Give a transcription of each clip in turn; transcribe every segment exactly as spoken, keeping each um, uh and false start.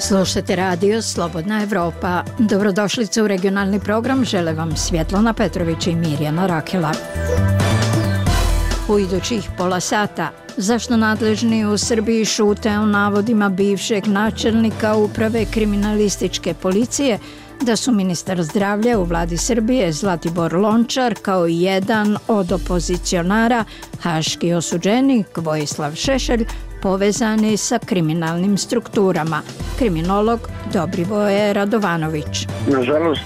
Slušajte radio Slobodna Evropa. Dobrodošlice u regionalni program, žele vam Svjetlana Petrović i Mirjana Rakela. U idućih pola sata, zašto nadležni u Srbiji šute o navodima bivšeg načelnika uprave kriminalističke policije da su ministar zdravlja u vladi Srbije Zlatibor Lončar kao i jedan od opozicionara, haški osuđenik Vojislav Šešelj, povezani sa kriminalnim strukturama. Kriminolog Dobrivoje Radovanović. Nažalost,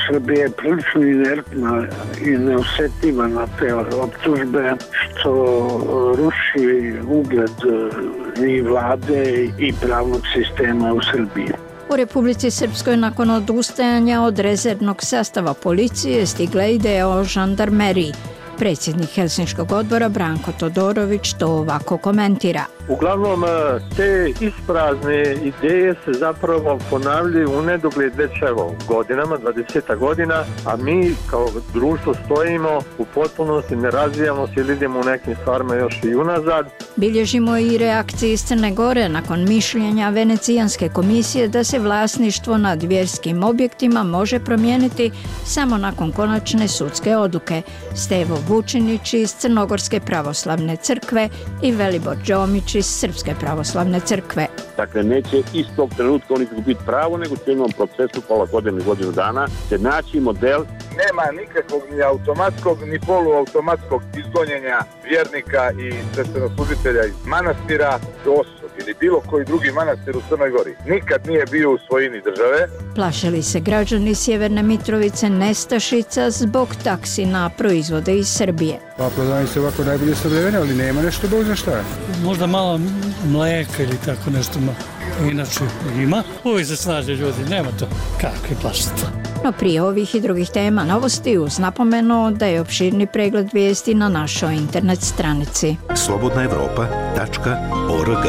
Srbija je prilično inertna i neosjetljiva na te optužbe, što ruši ugled i vlade i pravnog sistema u Srbiji. U Republici Srpskoj nakon odustajanja od rezervnog sastava policije stigla ideja o žandarmeriji. Predsjednik Helsinškog odbora Branko Todorović to ovako komentira. Uglavnom, te isprazne ideje se zapravo ponavljaju u nedogled već evo godinama, dvadeset godina, a mi kao društvo stojimo u potpunosti, ne razvijamo se ili idemo u nekim stvarima još i unazad. Bilježimo i reakcije iz Crne Gore nakon mišljenja Venecijanske komisije da se vlasništvo nad vjerskim objektima može promijeniti samo nakon konačne sudske odluke. Stevo Vučinić iz Crnogorske pravoslavne crkve i Velibor Đomić iz Srpske pravoslavne crkve. Dakle, neće istog trenutka oni izgubiti pravo, nego će u jednom procesu pola godine, godinu dana se naći model. Nema nikakvog ni automatskog ni poluautomatskog izgonjenja vjernika i sveštenoslužitelja iz manastira do Osog ili bilo koji drugi manastir u Crnoj Gori. Nikad nije bio u svojini države. Plašili se građani Sjeverne Mitrovice nestašica zbog taksi na proizvode iz Srbije. Pa prodavaju se ovako najbolje snabdevene, ali nema nešto Bog zna šta. Možda malo mlijeka ili tako nešto. Inače ima. Uvijek se snaže ljudi, nema to. Kakvi plašite. No prije ovih i drugih tema novosti uz napomenu da je opširni pregled vijesti na našoj internet stranici. slobodna evropa tačka org.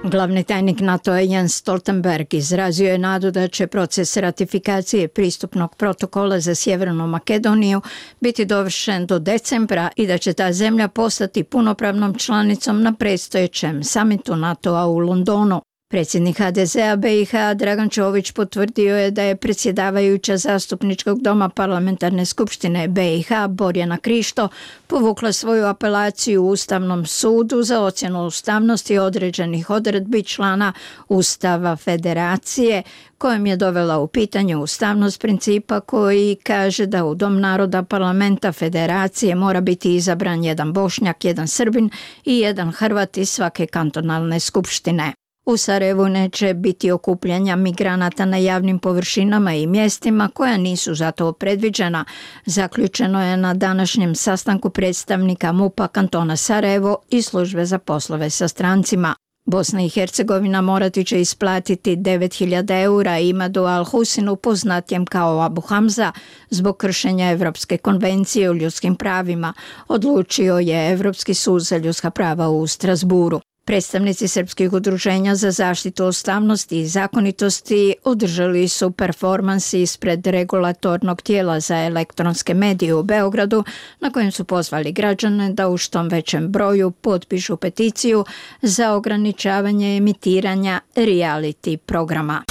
Glavni tajnik NATO-a Jens Stoltenberg izrazio je nadu da će proces ratifikacije pristupnog protokola za Sjevernu Makedoniju biti dovršen do decembra i da će ta zemlja postati punopravnom članicom na predstojećem samitu NATO-a u Londonu. Predsjednik ha de zea be i ha Dragan Čović potvrdio je da je predsjedavajuća zastupničkog doma parlamentarne skupštine be i ha Borjana Krišto povukla svoju apelaciju u Ustavnom sudu za ocjenu ustavnosti određenih odredbi člana Ustava Federacije, kojim je dovela u pitanje ustavnost principa koji kaže da u Dom naroda parlamenta Federacije mora biti izabran jedan Bošnjak, jedan Srbin i jedan Hrvat iz svake kantonalne skupštine. U Sarajevu neće biti okupljanja migranata na javnim površinama i mjestima koja nisu za to predviđena. Zaključeno je na današnjem sastanku predstavnika MUP-a kantona Sarajevo i službe za poslove sa strancima. Bosna i Hercegovina morati će isplatiti devet hiljada eura Imadu Al-Husinu, poznatijem kao Abu Hamza, zbog kršenja Evropske konvencije o ljudskim pravima, odlučio je Evropski sud za ljudska prava u Strasburu. Predstavnici srpskih udruženja za zaštitu ustavnosti i zakonitosti održali su performansi ispred regulatornog tijela za elektronske medije u Beogradu, na kojem su pozvali građane da u što većem broju potpišu peticiju za ograničavanje emitiranja reality programa.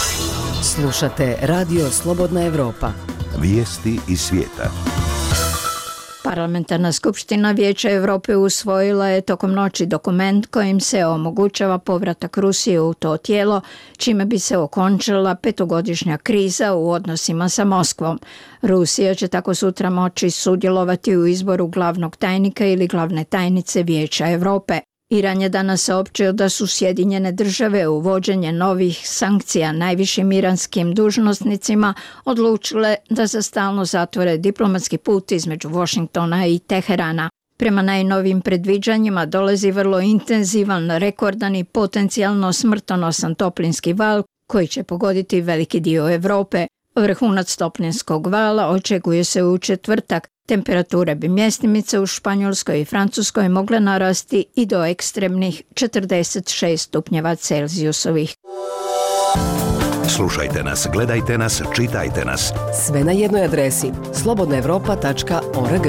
Slušate radio Slobodna Evropa. Vijesti iz svijeta. Parlamentarna skupština Vijeća Europe usvojila je tokom noći dokument kojim se omogućava povratak Rusije u to tijelo, čime bi se okončala petogodišnja kriza u odnosima sa Moskvom. Rusija će tako sutra moći sudjelovati u izboru glavnog tajnika ili glavne tajnice Vijeća Europe. Iran je danas saopćio da su Sjedinjene države uvođenje novih sankcija najvišim iranskim dužnosnicima odlučile da za stalno zatvore diplomatski put između Washingtona i Teherana. Prema najnovim predviđanjima dolazi vrlo intenzivan, rekordan i potencijalno smrtonosan toplinski val koji će pogoditi veliki dio Europe. Vrhunac toplinskog vala očekuje se u četvrtak. Temperature bi mjestimice u Španjolskoj i Francuskoj mogle narasti i do ekstremnih četrdeset šest stupnjeva Celzijusovih. Slušajte nas, gledajte nas, čitajte nas. Sve na jednoj adresi slobodna evropa tačka org.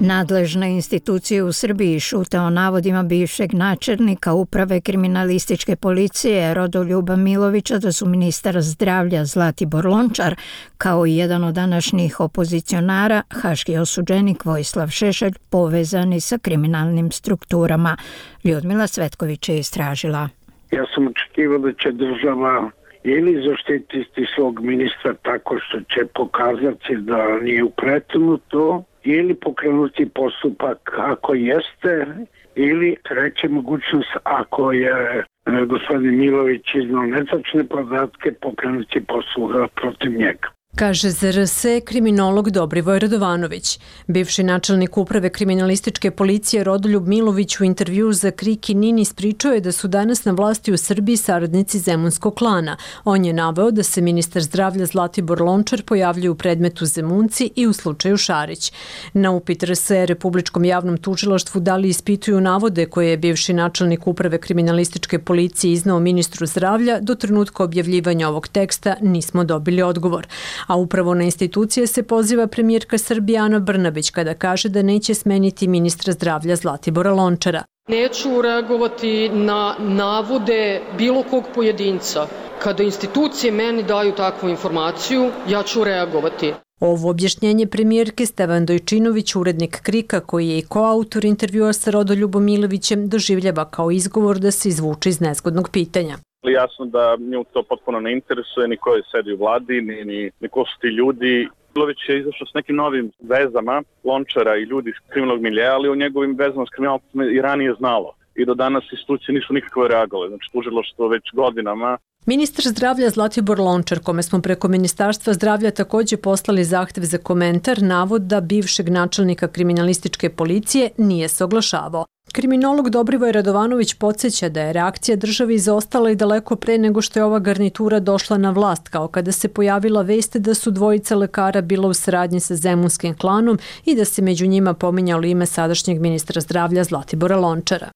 Nadležne institucije u Srbiji šute o navodima bivšeg načelnika Uprave kriminalističke policije Rodoljuba Milovića da su ministar zdravlja Zlatibor Lončar, kao i jedan od današnjih opozicionara, haški osuđenik Vojislav Šešelj, povezani sa kriminalnim strukturama. Ljudmila Cvetković je istražila. Ja sam očekivao da će država ili zaštititi svog ministra tako što će pokazati da nije upletnuto, ili pokrenuti postupak ako jeste, ili treća mogućnost ako je e, gospodin Milović iznao netačne podatke, pokrenuti postupak protiv njega. Kaže Z R S kriminolog Dobrivoj Radovanović. Bivši načelnik Uprave kriminalističke policije Rodoljub Milović u intervjuu za Krik i Nin ispričao je da su danas na vlasti u Srbiji saradnici Zemunskog klana. On je naveo da se ministar zdravlja Zlatibor Lončar pojavljuje u predmetu Zemunci i u slučaju Šarić. Na upit R S Republičkom javnom tužilaštvu da li ispituju navode koje je bivši načelnik Uprave kriminalističke policije iznao ministru zdravlja, do trenutka objavljivanja ovog teksta nismo dobili odgovor. A upravo na institucije se poziva premijerka Srbije Ana Brnabić kada kaže da neće smeniti ministra zdravlja Zlatibora Lončara. Neću reagovati na navode bilo kog pojedinca. Kada institucije meni daju takvu informaciju, ja ću reagovati. Ovo objašnjenje premijerke Stevan Dojčinović, urednik Krika, koji je i koautor intervjua sa Rodoljubom Milovićem, doživljava kao izgovor da se izvuče iz nezgodnog pitanja. Jasno da nju to potpuno ne interesuje, ni ko je sedi u vladi, ni, ni, ni ko su ti ljudi. Milović je izašao s nekim novim vezama Lončara i ljudi iz kriminalnog miljeja, ali o njegovim vezama s kriminalom i ranije znalo. I do danas institucije nisu nikakve reagovale. Znači, tužilaštvo već godinama. Ministar zdravlja Zlatibor Lončar, kome smo preko Ministarstva zdravlja također poslali zahtev za komentar, navoda bivšeg načelnika kriminalističke policije nije se oglašavao. Kriminolog Dobrivoj Radovanović podsjeća da je reakcija države izostala i daleko pre nego što je ova garnitura došla na vlast, kao kada se pojavila vest da su dvojica lekara bila u saradnji sa Zemunskim klanom i da se među njima pominjalo ime sadašnjeg ministra zdravlja Zlatibora Lončara.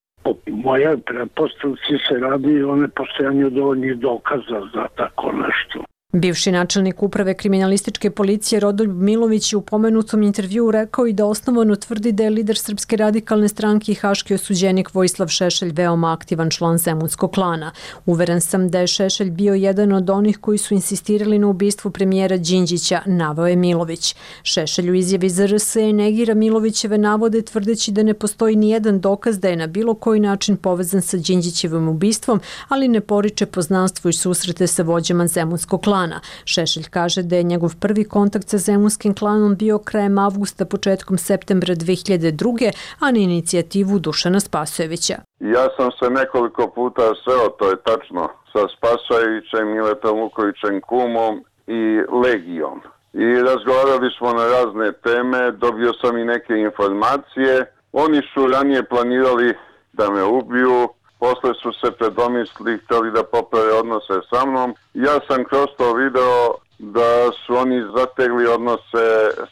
Moja pretpostavci se radi o nepostojanju dovoljnih dokaza za tako nešto. Bivši načelnik Uprave kriminalističke policije Rodoljub Milović je u pomenutom intervjuu rekao i da osnovano tvrdi da je lider Srpske radikalne stranke i haški osuđenik Vojislav Šešelj veoma aktivan član Zemunskog klana. Uveren sam da je Šešelj bio jedan od onih koji su insistirali na ubistvu premijera Đinđića, naveo je Milović. Šešelj u izjavi za R S negira Milovićeve navode tvrdeći da ne postoji ni jedan dokaz da je na bilo koji način povezan sa Đinđićevim ubistvom, ali ne poriče poznanstvo i susrete sa vođama Zemunskog klana. Šešelj kaže da je njegov prvi kontakt sa Zemunskim klanom bio krajem avgusta, početkom septembra dve hiljade druge. a na inicijativu Dušana Spasojevića. Ja sam se nekoliko puta sreo, to je tačno, sa Spasojevićem, Miletom Vukovićem kumom i Legijom. I razgovarali smo na razne teme, dobio sam i neke informacije. Oni su ranije planirali da me ubiju, posle su se predomislili, htjeli da poprave odnose sa mnom. Ja sam kroz to video da su oni zategli odnose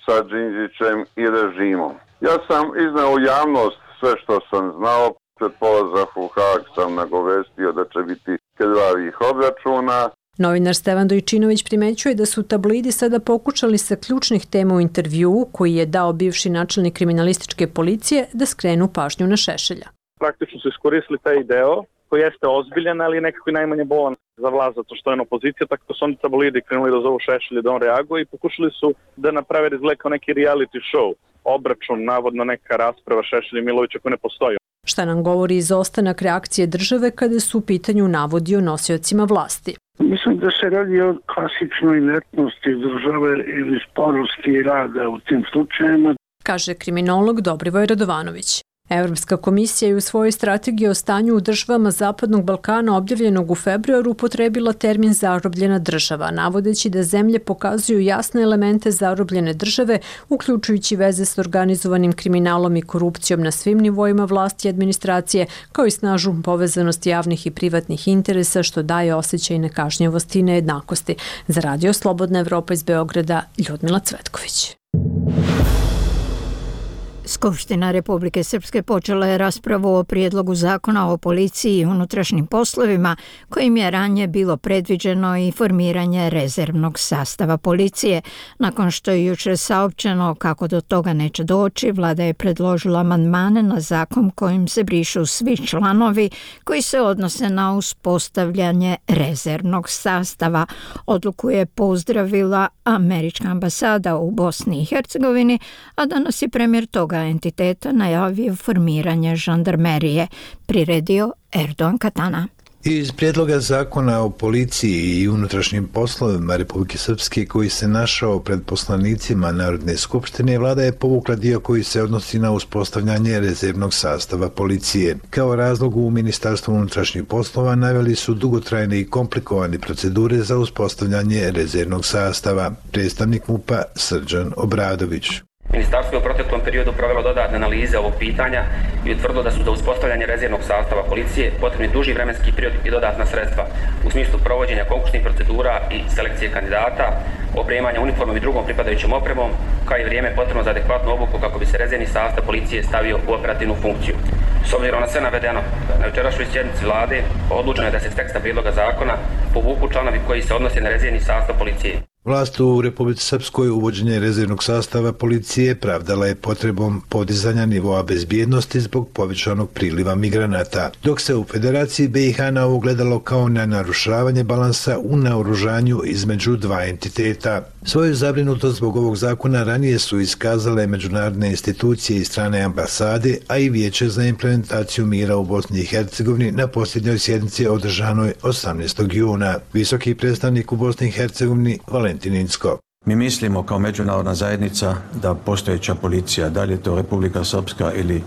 sa Đinđićem i režimom. Ja sam iznao u javnost sve što sam znao. Pred polazak u Haag sam nagovestio da će biti krvavih obračuna. Novinar Stevan Dojčinović primećuje da su tabloidi sada pokušali sa ključnih tema u intervjuu koji je dao bivši načelnik kriminalističke policije da skrenu pažnju na Šešelja. Praktično su iskoristili taj deo koji jeste ozbiljan, ali nekako i najmanje bolan za vlast, zato što je on opozicija, tako da su oni tabloidi krenuli da zovu Šešelja da on reaguje i pokušali su da naprave izgled kao neki reality show, obračun, navodno neka rasprava Šešelja i Milovića koja ne postoji. Šta nam govori izostanak reakcije države kada su u pitanju navodi o nosiocima vlasti? Mislim da se radi o klasičnoj inertnosti države ili sporosti rada u tim slučajima, kaže kriminolog Dobrivoj Radovanović. Evropska komisija je u svojoj strategiji o stanju u državama Zapadnog Balkana objavljenog u februaru upotrebila termin zarobljena država, navodeći da zemlje pokazuju jasne elemente zarobljene države, uključujući veze s organizovanim kriminalom i korupcijom na svim nivoima vlasti i administracije, kao i snažnu povezanost javnih i privatnih interesa, što daje osjećaj nekažnjivosti i nejednakosti. Za Radio Slobodna Evropa iz Beograda, Ljudmila Cvetković. Skupština Republike Srpske počela je raspravu o prijedlogu zakona o policiji i unutrašnjim poslovima, kojim je ranije bilo predviđeno i formiranje rezervnog sastava policije. Nakon što je jučer saopćeno kako do toga neće doći, vlada je predložila amandmane na zakon kojim se brišu svi članovi koji se odnose na uspostavljanje rezervnog sastava. Odluku je pozdravila američka ambasada u Bosni i Hercegovini, a danas je premijer toga entiteta najavio formiranje žandarmerije, priredio Erdogan Katana. Iz prijedloga zakona o policiji i unutrašnjim poslovima Republike Srpske koji se našao pred poslanicima Narodne skupštine, vlada je povukla dio koji se odnosi na uspostavljanje rezervnog sastava policije. Kao razlog u Ministarstvu unutrašnjih poslova naveli su dugotrajne i komplikovane procedure za uspostavljanje rezervnog sastava. Predstavnik MUP-a Srđan Obradović. Ministarstvo je u proteklom periodu provelo dodatne analize ovog pitanja i utvrdilo da su za uspostavljanje rezervnog sastava policije potrebni duži vremenski period i dodatna sredstva u smislu provođenja konkursnih procedura i selekcije kandidata, opremanja uniformom i drugom pripadajućom opremom, kao i vrijeme potrebno za adekvatnu obuku kako bi se rezervni sastav policije stavio u operativnu funkciju. S obzirom na sve navedeno, na jučerašnjoj sjednici vlade odlučeno je da se s teksta prijedloga zakona povuku članovi koji se odnose na rezervni sastav policije. Vlast u Republici Srpskoj uvođenje rezervnog sastava policije pravdala je potrebom podizanja nivoa bezbjednosti zbog povećanog priliva migranata, dok se u Federaciji B i H na ovo gledalo kao na narušavanje balansa u naoružanju između dva entiteta. Svoju zabrinutost zbog ovog zakona ranije su iskazale međunarodne institucije i strane ambasade, a i Vijeće za implementaciju mira u Bosni i Hercegovini na posljednjoj sjednici održanoj osamnaestog juna. Visoki predstavnik u Bosni i Hercegovini Valentin Incko. Mi mislimo kao međunarodna zajednica da postojeća policija, da li je to Republika Srpska ili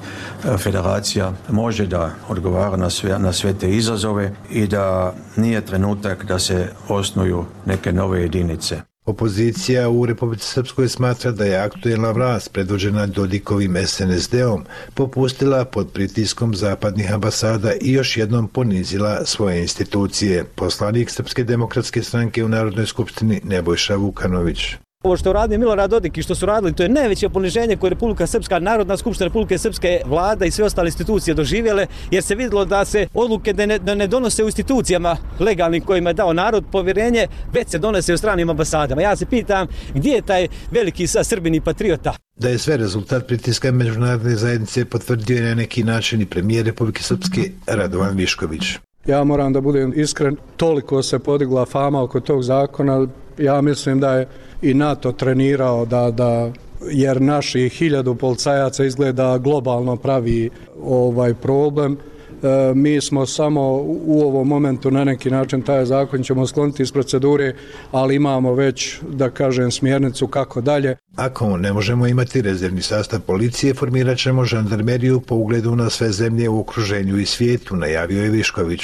Federacija, može da odgovara na sve, na sve te izazove i da nije trenutak da se osnuju neke nove jedinice. Opozicija u Republici Srpskoj smatra da je aktuelna vlast predvođena Dodikovim S N S D-om popustila pod pritiskom zapadnih ambasada i još jednom ponizila svoje institucije. Poslanik Srpske demokratske stranke u Narodnoj skupštini Nebojša Vukanović. Ovo što radi Milorad Dodik i što su radili, to je najveće poniženje koje Republika Srpska, Narodna skupština Republike Srpske, vlada i sve ostale institucije doživjele, jer se vidjelo da se odluke da ne, da ne donose u institucijama legalnim kojima je dao narod povjerenje, već se donose u stranim ambasadama. Ja se pitam gdje je taj veliki sa Srbin i patriota? Da je sve rezultat pritiska međunarodne zajednice potvrdio je na neki način i premijer Republike Srpske Radovan Višković. Ja moram da budem iskren, toliko se podigla fama oko tog zakona, ja mislim da je i NATO trenirao da, da jer naši hiljadu policajaca izgleda globalno pravi ovaj problem. E, mi smo samo u ovom momentu na neki način taj zakon ćemo skloniti iz procedure, ali imamo već, da kažem, smjernicu kako dalje. Ako ne možemo imati rezervni sastav policije, formirat ćemo žandarmeriju po ugledu na sve zemlje u okruženju i svijetu, najavio je Višković.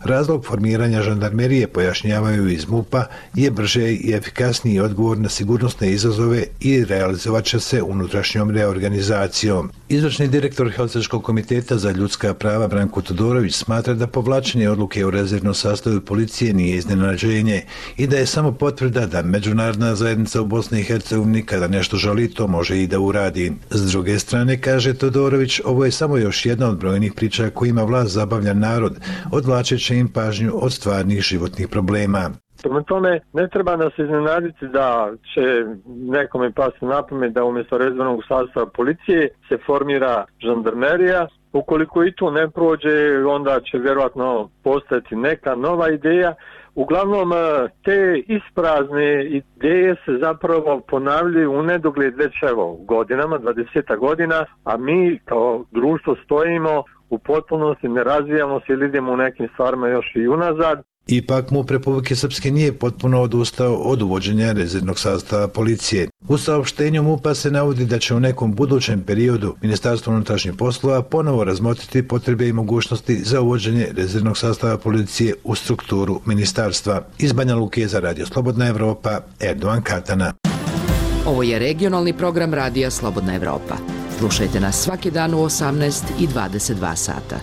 Razlog formiranja žandarmerije, pojašnjavaju iz MUP-a, je brže i efikasniji odgovor na sigurnosne izazove i realizovat će se unutrašnjom reorganizacijom. Izvršni direktor Helsinškog komiteta za ljudska prava Branko Todorović smatra da povlačenje odluke o rezervnom sastavu policije nije iznenađenje i da je samo potvrda da međunarodna zajednica u Bosni i Hercegovini kada nešto želi, to može i da uradi. S druge strane, kaže Todorović, ovo je samo još jedna od brojnih priča kojima vlast zabavlja narod, odvlačeći im pažnju od stvarnih životnih problema. Prema tome, ne treba nas iznenaditi da će nekome pasti na pamet da umjesto rezervnog sastava policije se formira žandarmerija. Ukoliko i to ne prođe, onda će vjerojatno postati neka nova ideja. Uglavnom, te isprazne ideje se zapravo ponavljaju u nedogled već evo godinama, dvadeset godina, a mi kao društvo stojimo u potpunosti, ne razvijamo se ili idemo u nekim stvarima još i unazad. Ipak MUP Republike Srpske nije potpuno odustao od uvođenja rezervnog sastava policije. U saopštenju MUP-a se navodi da će u nekom budućem periodu Ministarstvo unutrašnjih poslova ponovo razmotriti potrebe i mogućnosti za uvođenje rezervnog sastava policije u strukturu ministarstva. Iz Banja Luke za Radio Slobodna Evropa, Erdogan Katana. Ovo je regionalni program Radija Slobodna Evropa. Slušajte nas svaki dan u osamnaest i dvadeset dva sata.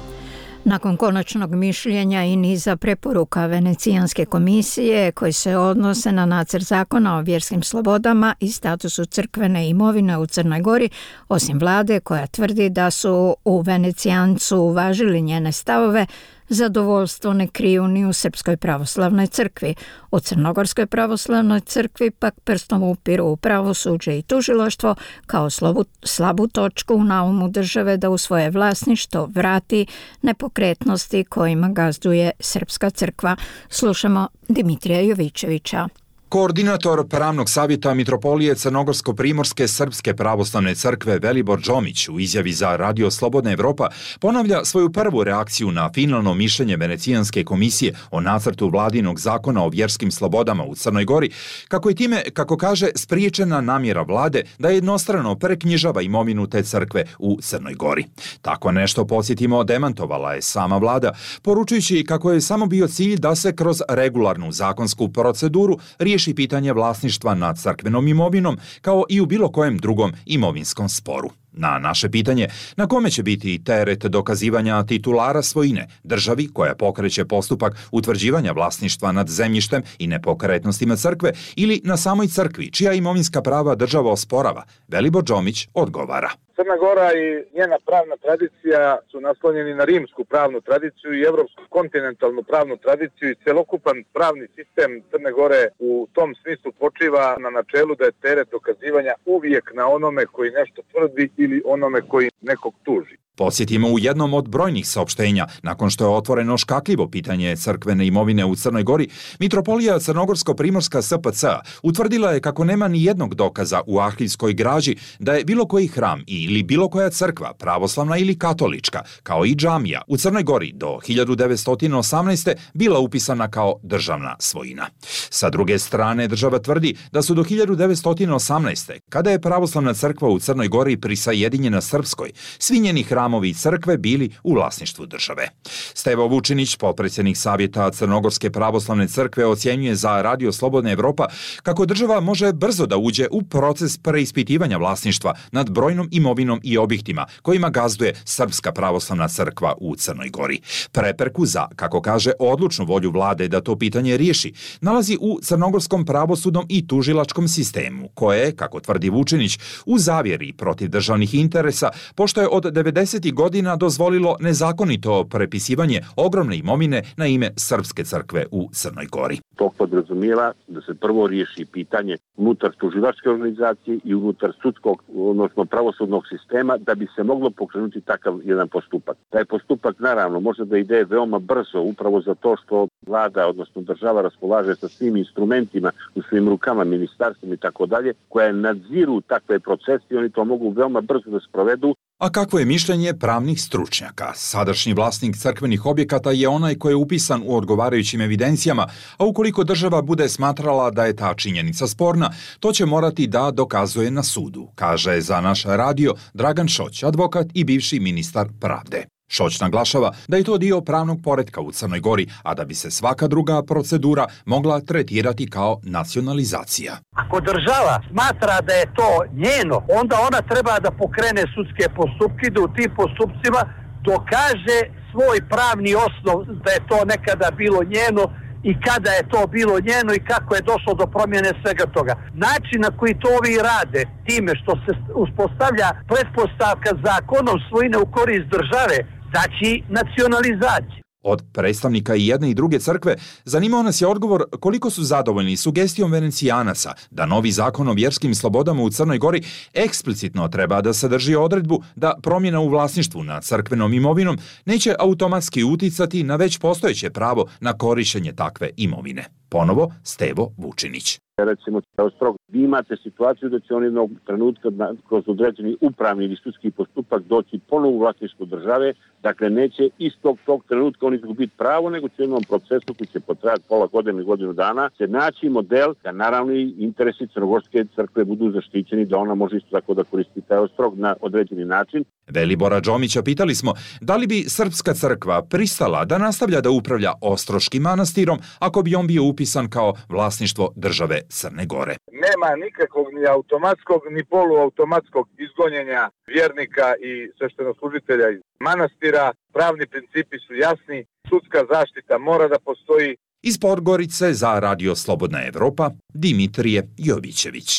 Nakon konačnog mišljenja i niza preporuka Venecijanske komisije koji se odnose na nacrt zakona o vjerskim slobodama i statusu crkvene imovine u Crnoj Gori, osim vlade koja tvrdi da su u Venecijancu uvažili njene stavove, zadovoljstvo ne kriju ni u Srpskoj pravoslavnoj crkvi. U Crnogorskoj pravoslavnoj crkvi pak prstom upiru u pravosuđe i tužilaštvo kao slabu, slabu točku u naumu države da u svoje vlasništvo vrati nepokretnosti kojima gazduje Srpska crkva. Slušamo Dimitrija Jovićevića. Koordinator pravnog savjeta Mitropolije Crnogorsko-primorske Srpske pravoslavne crkve Velibor Džomić u izjavi za Radio Slobodna Evropa ponavlja svoju prvu reakciju na finalno mišljenje Venecijanske komisije o nacrtu vladinog zakona o vjerskim slobodama u Crnoj Gori, kako je time, kako kaže, spriječena namjera vlade da jednostrano preknjižava imovinu te crkve u Crnoj Gori. Tako nešto, podsjetimo, demantovala je sama vlada, poručujući kako je samo bio cilj da se kroz regularnu zakonsku proceduru riješi pitanje vlasništva nad crkvenom imovinom, kao i u bilo kojem drugom imovinskom sporu. Na naše pitanje na kome će biti teret dokazivanja titulara svojine državi koja pokreće postupak utvrđivanja vlasništva nad zemljištem i nepokretnostima crkve ili na samoj crkvi čija imovinska prava država osporava, Velibor Džomić odgovara. Crna Gora i njena pravna tradicija su naslonjeni na rimsku pravnu tradiciju i evropsku kontinentalnu pravnu tradiciju i celokupan pravni sistem Crne Gore u tom smislu počiva na načelu da je teret dokazivanja uvijek na onome koji nešto tvrdi ili onome koji nekog tuži. Podsjetimo, u jednom od brojnih saopštenja, nakon što je otvoreno škakljivo pitanje crkvene imovine u Crnoj Gori, Mitropolija Crnogorsko-primorska S P C utvrdila je kako nema ni jednog dokaza u arhivskoj građi da je bilo koji hram ili bilo koja crkva, pravoslavna ili katolička, kao i džamija, u Crnoj Gori do hiljadu devetsto osamnaeste. bila upisana kao državna svojina. Sa druge strane, država tvrdi da su do hiljadu devetsto osamnaeste. kada je pravoslavna crkva u Crnoj Gori prisajedinjena Srpskoj, svi njeni hramovi i crkve bili u vlasništvu države. Stevo Vučinić, potpredsjednik Savjeta Crnogorske pravoslavne crkve, ocjenjuje za Radio Slobodna Evropa kako država može brzo da uđe u proces preispitivanja vlasništva nad brojnom imovinom i objektima kojima gazduje Srpska pravoslavna crkva u Crnoj Gori. Prepreku za, kako kaže, odlučnu volju vlade da to pitanje riješi nalazi u crnogorskom pravosudnom i tužilačkom sistemu, koje, kako tvrdi Vučinić, u zavjeri protiv državnih interesa, pošto je od devedesetih godina dozvolilo nezakonito prepisivanje ogromne imovine na ime Srpske crkve u Crnoj Gori. To podrazumijeva da se prvo riješi pitanje unutar tužilačke organizacije i unutar sudskog, odnosno pravosudnog sistema, da bi se moglo pokrenuti takav jedan postupak. Taj postupak naravno može da ide veoma brzo, upravo zato što vlada, odnosno država, raspolaže sa svim instrumentima u svim rukama, ministarstvom i tako dalje, koje nadziru takve procese i oni to mogu veoma brzo da sprovedu. A kakvo je mišljenje pravnih stručnjaka? Sadašnji vlasnik crkvenih objekata je onaj koji je upisan u odgovarajućim evidencijama, a ukoliko država bude smatrala da je ta činjenica sporna, to će morati da dokazuje na sudu, kaže za naš radio Dragan Šoć, advokat i bivši ministar pravde. Šoć naglašava da je to dio pravnog poretka u Crnoj Gori, a da bi se svaka druga procedura mogla tretirati kao nacionalizacija. Ako država smatra da je to njeno, onda ona treba da pokrene sudske postupke, da u tim postupcima dokaže svoj pravni osnov da je to nekada bilo njeno i kada je to bilo njeno i kako je došlo do promjene svega toga. Način na koji to ovi rade, time što se uspostavlja pretpostavka zakonom svojine u korist države, znači nacionalizaciju. Od predstavnika i jedne i druge crkve zanimao nas je odgovor koliko su zadovoljni sugestijom Venecijanaca da novi zakon o vjerskim slobodama u Crnoj Gori eksplicitno treba da sadrži odredbu da promjena u vlasništvu nad crkvenom imovinom neće automatski uticati na već postojeće pravo na korištenje takve imovine. Ponovo Stevo Vučinić. Recimo, strog, vi imate situaciju da će on jednog trenutka kroz određeni upravni ili sudski postupak doći ponovo u vlasništvo države, dakle neće istog tog trenutka on izgubiti pravo, nego će u jednom procesu koji će potrajati pola godine i godinu dana se naći model da naravno i interesi Crnogorske crkve budu zaštićeni, da ona može isto tako da koristi taj ostrog na određeni način. Velibora Džomića pitali smo da li bi Srpska crkva pristala da nastavlja da upravlja Ostroškim manastirom ako bi on bio upisan upisan kao vlasništvo države Crne Gore. Nema nikakvog ni automatskog ni poluautomatskog izgonjenja vjernika i sveštenoslужitelja iz manastira. Pravni principi su jasni, sudska zaštita mora da postoji. Iz Podgorice za Radio Slobodna Evropa, Dimitrije Jovićević.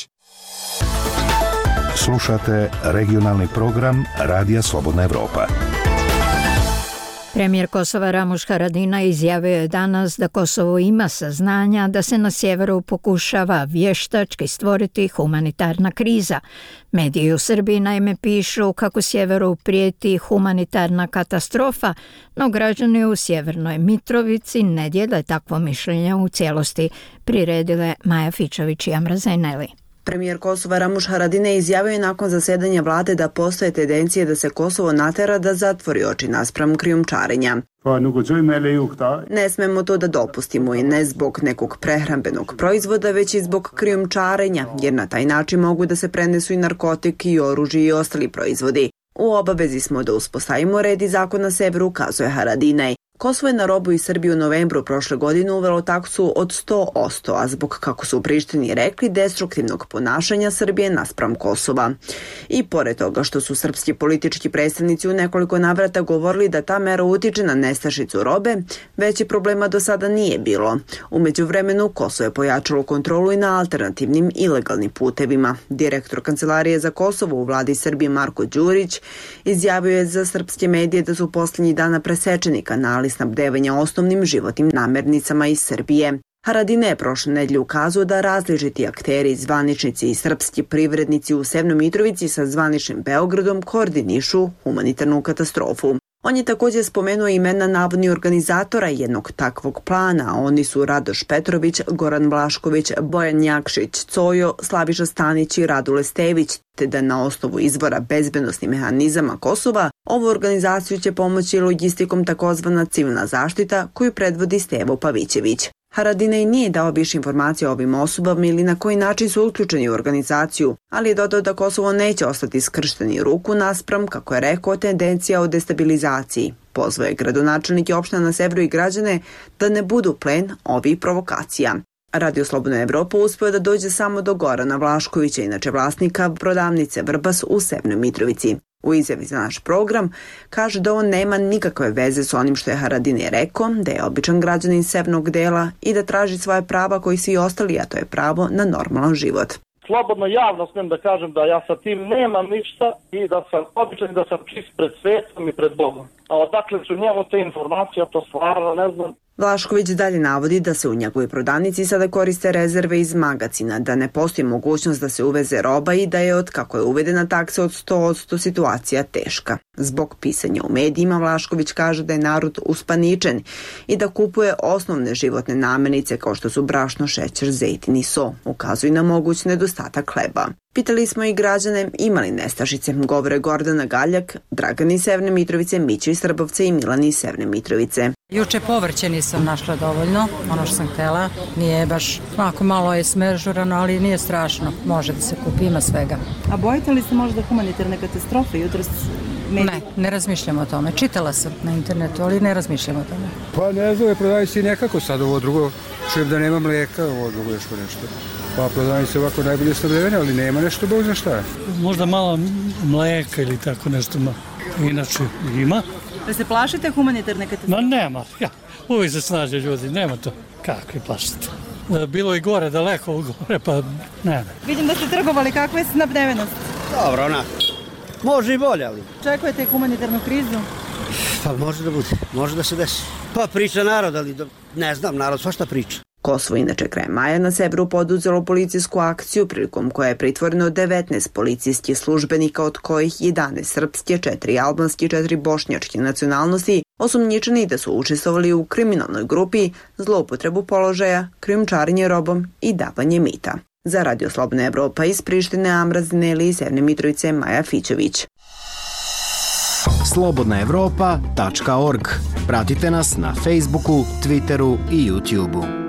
Slušate regionalni program Radija Slobodna Evropa. Premijer Kosova Ramuš Haradinaj izjavio je danas da Kosovo ima saznanja da se na sjeveru pokušava vještački stvoriti humanitarna kriza. Mediji u Srbiji naime pišu kako sjeveru prijeti humanitarna katastrofa, no građani u Sjevernoj Mitrovici ne dijele takvo mišljenje u cijelosti, priredile Maja Fičović i Amra Zeneli. Premijer Kosova Ramuš Haradinaj izjavio je nakon zasedanja vlade da postoje tendencije da se Kosovo natera da zatvori oči naspram krijumčarenja. Ne smemo to da dopustimo i ne zbog nekog prehrambenog proizvoda, već i zbog krijumčarenja, jer na taj način mogu da se prenesu i narkotik i oružje i ostali proizvodi. U obavezi smo da uspostavimo red i zakon na severu, kazuje Haradinaj. Kosovo je na robu iz Srbije u novembru prošle godine uvelo taksu od sto posto, a zbog, kako su u Prištini rekli, destruktivnog ponašanja Srbije naspram Kosova. I pored toga što su srpski politički predstavnici u nekoliko navrata govorili da ta mera utiče na nestašicu robe, veći problema do sada nije bilo. U međuvremenu Kosovo je pojačalo kontrolu i na alternativnim ilegalnim putevima. Direktor Kancelarije za Kosovo u vladi Srbije Marko Đurić izjavio je za srpske medije da su posljednjih dana presečeni kanali snabdevanja osnovnim životnim namirnicama iz Srbije. Haradinaj je prošle nedelje ukazao da različiti akteri, zvaničnici i srpski privrednici u Severnoj Mitrovici sa zvaničnim Beogradom koordinišu humanitarnu katastrofu. On je također spomenuo imena navodnih organizatora jednog takvog plana. Oni su Radoš Petrović, Goran Vlašković, Bojan Jakšić, Cojo, Slaviša Stanić i Radule Stević, te da na osnovu izvora bezbednosnih mehanizama Kosova ovu organizaciju će pomoći logistikom takozvana civilna zaštita koju predvodi Stevo Pavićević. Haradinaj nije dao više informacija o ovim osobama ili na koji način su uključeni u organizaciju, ali je dodao da Kosovo neće ostati skršteni ruku naspram, kako je rekao, tendencija o destabilizaciji. Pozvao je gradonačelnike opština na severu i građane da ne budu plen ovih provokacija. Radio Slobodna Evropa uspio da dođe samo do Gorana Vlaškovića, inače vlasnika prodavnice Vrbas u Severnoj Mitrovici. U izjavi za naš program kaže da on nema nikakve veze s onim što je Haradinaj rekao, da je običan građanin severnog dela i da traži svoje prava koji svi ostali, a to je pravo na normalan život. Slobodno javno smijem da kažem da ja sa tim nemam ništa i da sam običan i da sam čist pred svetom i pred Bogom. A odakle su njemu te informacije, to stvarno ne znam. Vlašković dalje navodi da se u njegovoj prodavnici sada koriste rezerve iz magacina, da ne postoji mogućnost da se uveze roba i da je od kako je uvedena taksa od sto posto situacija teška. Zbog pisanja u medijima Vlašković kaže da je narod uspaničen i da kupuje osnovne životne namirnice kao što su brašno, šećer, zejtin i so. Ukazuju na moguć nedostatak hleba. Pitali smo i građane imali nestašice, govore Gordana Galjak, Dragan iz Severne Mitrovice, Mićo iz Srbovca i Milan iz Severne Mitrovice. Juče povrće nisam našla dovoljno, ono što sam htjela, nije baš, ako malo je smežurano, ali nije strašno, može da se kupi, ima svega. A bojite li se možda humanitarne katastrofe jutros? Ne, ne razmišljam o tome. Čitala sam na internetu, ali ne razmišljam o tome. Pa ne znam, prodaju se nekako sad ovo drugo, čujem da nema mlijeka, ovo drugo još nešto. Pa prodaju se ovako najbolje snabdevene, ali nema nešto, Bog zna šta. Možda malo mlijeka ili tako nešto, inače ima. Da se plašite humanitarne katastrofe? Ma nema, ja, uvijek se snaže ljudi, nema to. Kakvi plašite? Bilo i gore, daleko gore, pa ne. Vidim da ste trgovali, kakva je snabdevenost? Dobro, onako. Može i bolje, ali... Očekujete humanitarnu krizu? Pa može da bude, može da se desi. Pa priča narod, ali ne znam, narod svašta priča. Kosovo inače krajem maja na severu poduzelo policijsku akciju prilikom koje je pritvoreno devetnaest policijskih službenika, od kojih jedanaest srpske, četiri albanske i četiri bošnjačke nacionalnosti, osumnjičeni da su učestvovali u kriminalnoj grupi, zloupotrebu položaja, krijumčarenje robom i davanje mita. Za Radio Slobodna Evropa iz Prištine, Amra Zeneli iz Severne Mitrovice, Maja Fićović. slobodna evropa tačka org. Pratite nas na Facebooku, Twitteru i YouTubeu.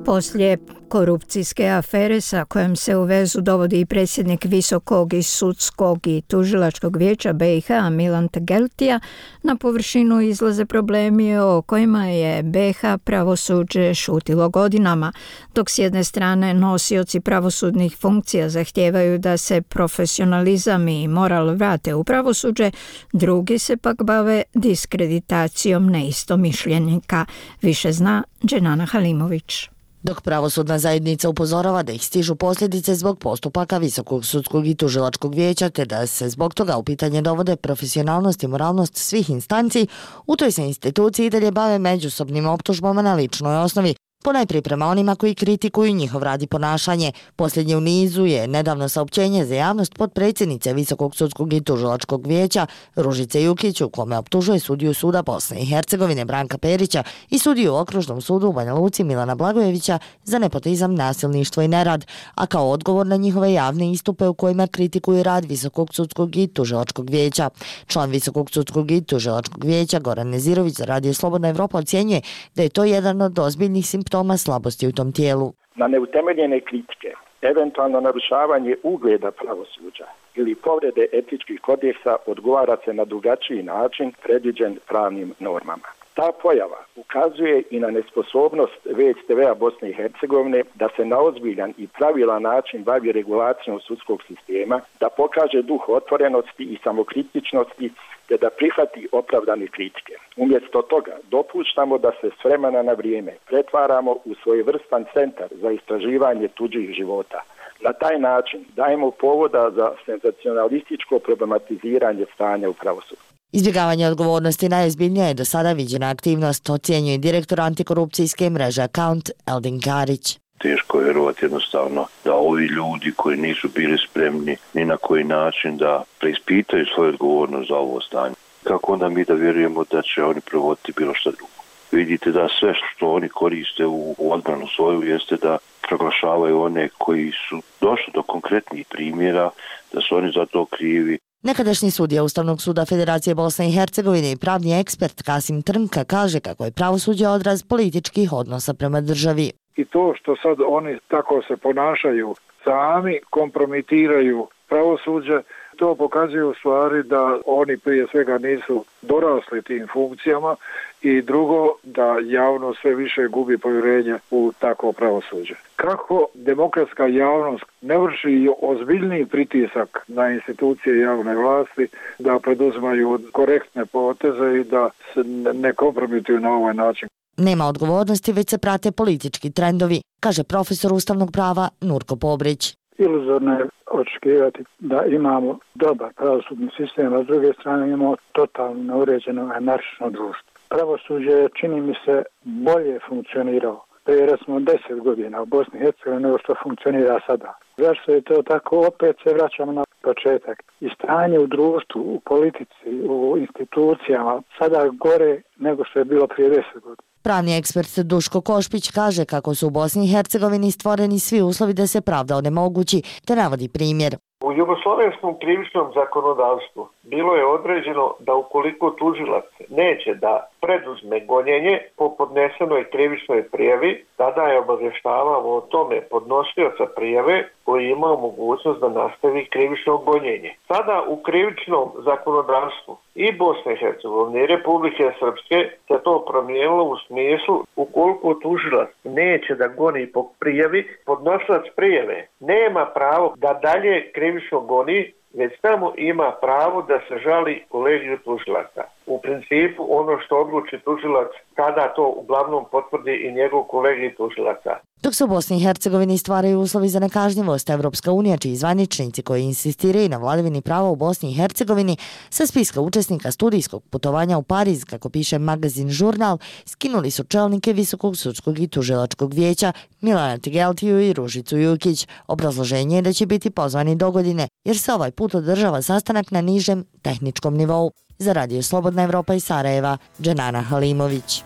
Poslije korupcijske afere sa kojom se u vezu dovodi i predsjednik Visokog i sudskog i tužilačkog vijeća B i H Milan Tegeltija, na površinu izlaze problemi o kojima je B i H pravosuđe šutilo godinama, dok s jedne strane nosioci pravosudnih funkcija zahtijevaju da se profesionalizam i moral vrate u pravosuđe, drugi se pak bave diskreditacijom neistomišljenika. Više zna Dženana Halimović. Dok pravosudna zajednica upozorava da ih stižu posljedice zbog postupaka Visokog sudskog i tužilačkog vijeća, te da se zbog toga u pitanje dovode profesionalnost i moralnost svih instanci, u toj se instituciji i dalje bave međusobnim optužbama na ličnoj osnovi, ponajprije prema onima koji kritikuju njihov rad i ponašanje. Posljednje u nizu je nedavno saopćenje za javnost potpredsjednice Visokog sudskog i tužilačkog vijeća Ružice Jukić, u kome optužuje sudiju suda Bosne i Hercegovine Branka Perića i sudiju u Okružnom sudu u Banja Luci Milana Blagojevića za nepotizam, nasilništvo i nerad, a kao odgovor na njihove javne istupe u kojima kritikuju rad Visokog sudskog i tužilačkog vijeća. Član Visokog sudskog i tužilačkog vijeća Goran Nezirović za Radio Slobodna Evropa ocjenjuje da je to jedan od ozbiljnih simptoma toma slabosti u tom tijelu. Na neutemeljene kritike, eventualno narušavanje ugleda pravosuđa ili povrede etičkih kodeksa odgovara se na drugačiji način predviđen pravnim normama. Ta pojava ukazuje i na nesposobnost V S T V-a Bosne i Hercegovine da se na ozbiljan i pravilan način bavi regulacijom sudskog sistema, da pokaže duh otvorenosti i samokritičnosti te da prihvati opravdane kritike. Umjesto toga dopuštamo da se s vremena na vrijeme pretvaramo u svojevrstan centar za istraživanje tuđih života. Na taj način dajemo povoda za senzacionalističko problematiziranje stanja u pravosuđu. Izbjegavanje odgovornosti najozbiljnija je do sada viđena aktivnost, ocjenjuje direktor antikorupcijske mreže Account Eldin Karić. Teško je vjerovati jednostavno da ovi ljudi koji nisu bili spremni ni na koji način da preispitaju svoju odgovornost za ovo stanje. Kako onda mi da vjerujemo da će oni provoditi bilo što drugo? Vidite da sve što oni koriste u odbranu svoju jeste da proglašavaju one koji su došli do konkretnih primjera, da su oni za to krivi. Nekadašnji sudija Ustavnog suda Federacije Bosne i Hercegovine i pravni ekspert Kasim Trnka kaže kako je pravosuđe odraz političkih odnosa prema državi. I to što sad oni tako se ponašaju, sami kompromitiraju pravosuđe, to pokazuje u stvari da oni prije svega nisu dorasli tim funkcijama i drugo da javnost sve više gubi povjerenje u takvo pravosuđe. Kako demokratska javnost ne vrši ozbiljniji pritisak na institucije javne vlasti da preduzimaju korektne poteze i da se ne kompromituju na ovaj način. Nema odgovornosti, već se prate politički trendovi, kaže profesor ustavnog prava Nurko Pobrić. Iluzorno je očekivati da imamo dobar pravosudni sistem, a s druge strane imamo totalno neuređeno anarhično društvo. Pravosuđe čini mi se bolje funkcionirao prije recimo deset godina u Bosni i Hercegovini nego što funkcionira sada. Zašto je to tako? Opet se vraćamo na početak. I stanje u društvu, u politici, u institucijama sada gore nego što je bilo prije deset godina. Pravni ekspert Duško Košpić kaže kako su u Bosni i Hercegovini stvoreni svi uslovi da se pravda onemogući, te navodi primjer. U jugoslovenskom krivičnom zakonodavstvu bilo je određeno da ukoliko tužilac neće da preduzme gonjenje po podnesenoj krivičnoj prijavi, tada je obavještavao o tome podnosioca prijave koji ima mogućnost da nastavi krivično gonjenje. Sada u krivičnom zakonodavstvu i Bosne i Hercegovine i Republike Srpske se to promijenilo u smislu ukoliko tužilac neće da goni po prijavi, podnosilac prijave nema pravo da dalje krivično goni, već samo ima pravo da se žali kolegiju tužilaca. U principu ono što odluči tužilac, tada to uglavnom potvrdi i njegov kolegij tužilaca. Dok se u Bosni i Hercegovini stvaraju uslovi za nekažnjivost, Evropska unija, čiji zvaničnici koji insistiraju na vladavini prava u Bosni i Hercegovini, sa spiska učesnika studijskog putovanja u Pariz, kako piše magazin Žurnal, skinuli su čelnike Visokog sudskog i tužilačkog vijeća Milana Tegeltiju i Ružicu Jukić. Obrazloženje je da će biti pozvani do godine, jer se ovaj put održava sastanak na nižem tehničkom nivou. Za Radio Slobodna Evropa iz Sarajeva, Dženana Halimović.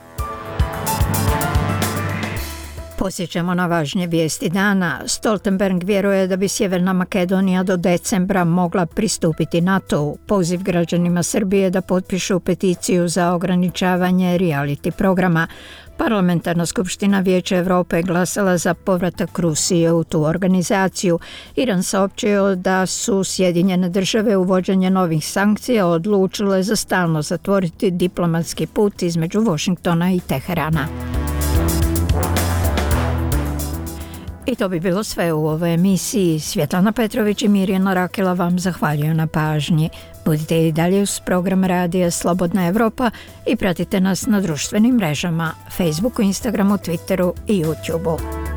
Posjećamo na važnje vijesti dana. Stoltenberg vjeruje da bi Sjeverna Makedonija do decembra mogla pristupiti NATO-u. Poziv građanima Srbije da potpišu peticiju za ograničavanje reality programa. Parlamentarna skupština Vijeća Europe glasala za povratak Rusije u tu organizaciju. Iran saopćio da su Sjedinjene države uvođenje novih sankcija odlučile za stalno zatvoriti diplomatski put između Washingtona i Teherana. I to bi bilo sve u ovoj emisiji. Svjetlana Petrović i Mirjana Rakela vam zahvaljuju na pažnji. Budite i dalje uz program Radija Slobodna Evropa i pratite nas na društvenim mrežama, Facebooku, Instagramu, Twitteru i YouTubeu.